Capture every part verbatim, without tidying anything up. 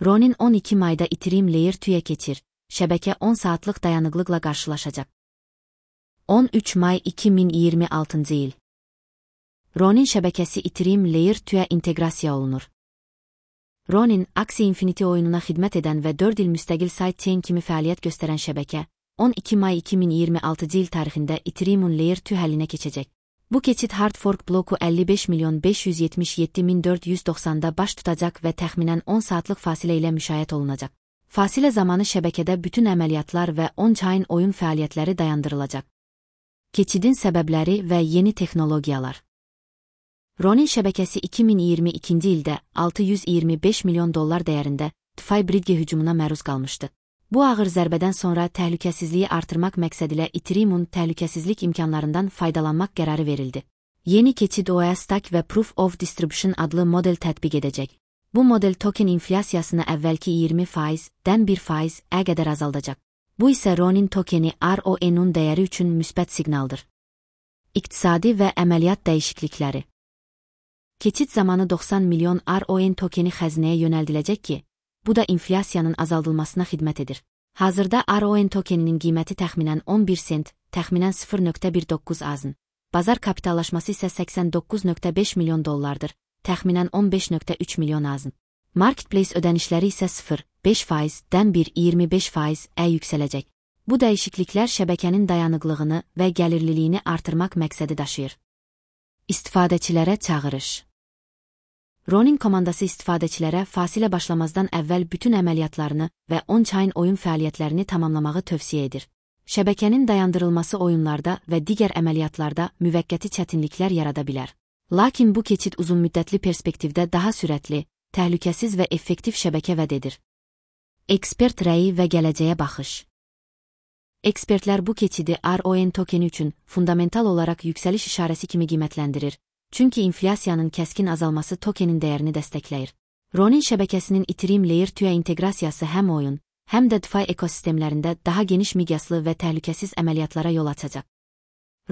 Ronin on iki Mayda Ethereum Layer ikiye keçir, şəbəkə on saatlıq dayanıqlıqla qarşılaşacaq. on üç May iki min iyirmi altıncı il. Ronin şəbəkəsi Ethereum Layer ikiyə inteqrasiya olunur. Ronin, Axie Infinity oyununa xidmət edən və dörd il müstəqil sidechain kimi fəaliyyət göstərən şəbəkə, on iki May iki min iyirmi altıncı il tarixində Ethereum Layer iki həlinə keçəcək. Bu keçid hard fork bloku əlli beş milyon beş yüz yetmiş yeddi min dörd yüz doxsanda baş tutacaq və təxminən on saatlıq fasilə ilə müşayiət olunacaq. Fasilə zamanı şəbəkədə bütün əməliyyatlar və on-chain oyun fəaliyyətləri dayandırılacaq. Keçidin səbəbləri və yeni texnologiyalar. Ronin şəbəkəsi iki min iyirmi ikinci ildə altı yüz iyirmi beş milyon dollar dəyərində DeFi Bridge hücumuna məruz qalmışdı. Bu ağır zərbədən sonra təhlükəsizliyi artırmaq məqsədilə Ethereum-un təhlükəsizlik imkanlarından faydalanmaq qərarı verildi. Yeni keçid O A Stack və Proof of Distribution adlı model tətbiq edəcək. Bu model token inflyasiyasını əvvəlki iyirmi faizdən bir faiz-ə qədər azaldacaq. Bu isə Ronin tokeni R O N'un dəyəri üçün müsbət siqnaldır. İqtisadi və əməliyyat dəyişiklikləri. Keçid zamanı doxsan milyon R O N tokeni xəzinəyə yönəldiləcək ki, bu da inflyasiyanın azaldılmasına xidmət edir. Hazırda R O N tokeninin qiyməti təxminən on bir sent, təxminən sıfır nöqtə bir doqquz azın. Bazar kapitallaşması isə səksən doqquz nöqtə beş milyon dollardır, təxminən on beş nöqtə üç milyon azın. Marketplace ödənişləri isə sıfır nöqtə beş faizdən bir nöqtə iyirmi beş faiz-ə yüksələcək. Bu dəyişikliklər şəbəkənin dayanıqlığını və gəlirliliyini artırmaq məqsədi daşıyır. İstifadəçilərə çağırış. Ronin komandası istifadəçilərə fasilə başlamazdan əvvəl bütün əməliyyatlarını və on-chain oyun fəaliyyətlərini tamamlamağı tövsiyə edir. Şəbəkənin dayandırılması oyunlarda və digər əməliyyatlarda müvəqqəti çətinliklər yarada bilər. Lakin bu keçid uzunmüddətli perspektivdə daha sürətli, təhlükəsiz və effektiv şəbəkə vəd edir. Ekspert rəyi və gələcəyə baxış. Ekspertlər bu keçidi R O N tokeni üçün fundamental olaraq yüksəliş işarəsi kimi qiymətləndirir. Çünki inflyasiyanın kəskin azalması tokenin dəyərini dəstəkləyir. Ronin şəbəkəsinin Ethereum Layer ikiyə inteqrasiyası həm oyun, həm də DeFi ekosistemlərində daha geniş miqyaslı və təhlükəsiz əməliyyatlara yol açacaq.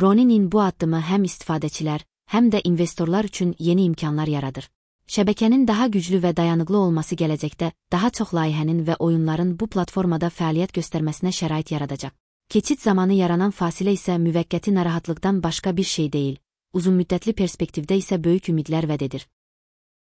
Ronin'in bu addımı həm istifadəçilər, həm də investorlar üçün yeni imkanlar yaradır. Şəbəkənin daha güclü və dayanıqlı olması gələcəkdə daha çox layihənin və oyunların bu platformada fəaliyyət göstərməsinə şərait yaradacaq. Keçid zamanı yaranan fasilə isə müvəqqəti narahatlıqdan başqa bir şey deyil. Uzunmüddətli perspektivdə isə böyük ümidlər vəd edir.